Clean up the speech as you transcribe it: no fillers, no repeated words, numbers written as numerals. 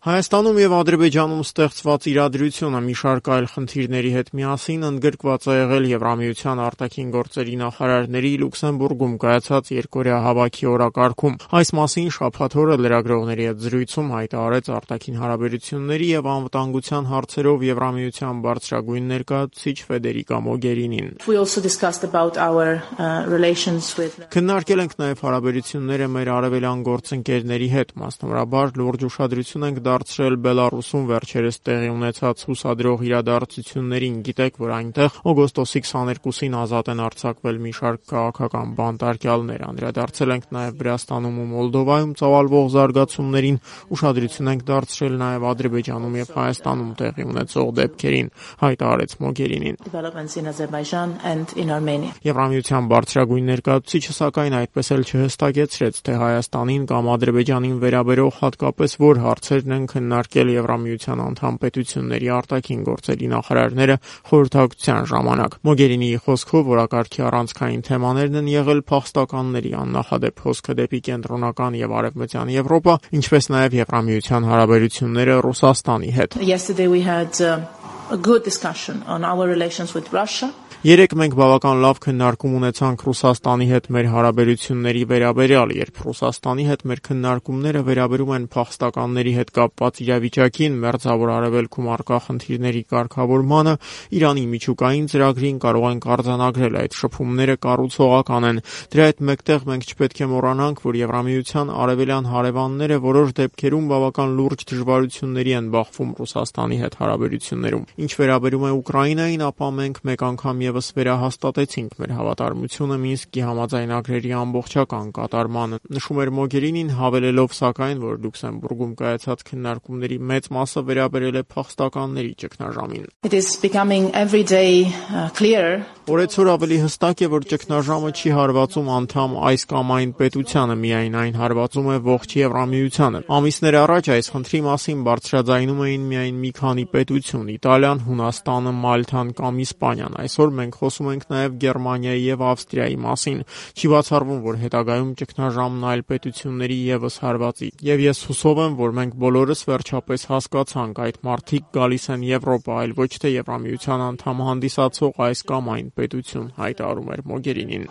Հայաստանում եւ Ադրբեջանում ստեղծված իրադրությունը մի շարք այլ խնդիրների հետ միասին ընդգրկված է եղել Եվրամիության արտաքին գործերի նախարարների Լյուքսեմբուրգում կայացած երկօրյա հավաքի օրակարգում։ Այս մասին շաբաթ օրը լրագրողների հետ զրույցում հայտարարեց արտաքին հարաբերությունների եւ անվտանգության հարցերով Եվրամիության բարձրագույն ներկայացուցիչ Ֆեդերիկա Մոգերինին։ Քննարկել ենք նաեւ հարաբերությունները մեր արևելյան գործընկերների հետ, մասնավորաբար լուրջ ուշադրություն ենք դարձրել Բելարուսում վերջերս տեղի ունեցած հուսադրող իրադարձություններին։ Գիտեք, որ այնտեղ օգոստոսի 22-ին ազատ են արձակվել մի շարք քաղաքական բանտարկյալներ։ Անդրադարձել ենք նաև Վրաստանում ու Մոլդովայում ծավալվող զարգացումներին, ուշադրություն ենք դարձրել նաև Ադրբեջանում եւ Հայաստանում տեղի ունեցող դեպքերին, հայտարարեց Մոգերինին։ Եվրամիության բարձրագույն ներկայացուցիչը սակայն այդպես էլ չհստակեցրեց, թե Հայաստանին կամ Ադրբեջանին վերաբերող հատկապես որ հարցերն են քննարկել Եվրամիության անդամ պետությունների արտաքին գործերի նախարարները խորհրդակցության ժամանակ։ Մոգերինիի խոսքով օրակարգի առանցքային թեմաներն են եղել փախստականների աննախադեպ հոսքը դեպի կենտրոնական եւ արևմտյան Եվրոպա, ինչպես նաեւ Եվրամիության հարաբերությունները Ռուսաստանի հետ։ Երեկ մենք բավական լավ քննարկում ունեցանք Ռուսաստանի հետ մեր հարաբերությունների վերաբերյալ, երբ Ռուսաստանի հետ մեր քննարկումները վերաբերում են փախստականների հետ կապված իրավիճակին, Մերձավոր Արևելքում առկա խնդիրների կարգավորմանը, Իրանի միջուկային ծրագրին կարող ենք արձանագրել այդ շփումները կառուցողական են։ Դրա հետ մեկտեղ մենք չպետք է մոռանանք, որ Եվրամիության արևելյան հարևանները որոշ դեպքերում բավական լուրջ դժվարությունների են բախվում Ռուսաստանի հետ հարաբերություններում։ Ինչ վերաբերում է Ուկրաինային, ապա մենք մեկ անգամ եւս վերահաստատեցինք մեր հավատարմությունը Մինսկի համաձայնագրերի ամբողջական կատարմանը, նշում էր Մոգերինին, հավելելով սակայն, որ Լյուքսեմբուրգում կայացած քննարկումների մեծ մասը վերաբերել է փախստականների ճգնաժամին։ Օրեցօր ավելի հստակ է, որ ճգնաժամը չի հարվածում անդամ այս կամ այն պետությանը, միայն այն հարվածում է ողջ Եվրամիությանը։ Ամիսներ առաջ այս խնդրի մասին բարձրաձայնում էին միայն մի քանի պետություն՝ Իտալիան, Հունաստանը, Մալթան կամ Իսպանիան։ Այսօր մենք խոսում ենք նաև Գերմանիայի եւ Ավստրիայի մասին։ Չի բացառվում, որ հետագայում ճգնաժամն այլ պետությունների եւս հարվածի։ Եվ ես հուսով եմ, որ մենք բոլորս վերջապես հասկացանք, այդ մարդիկ գալիս են Եվրոպա, այլ ոչ թե Եվրամիության անդամ հանդիսացող այս կամ այն պետություն, հայտարարում էր Մոգերինին։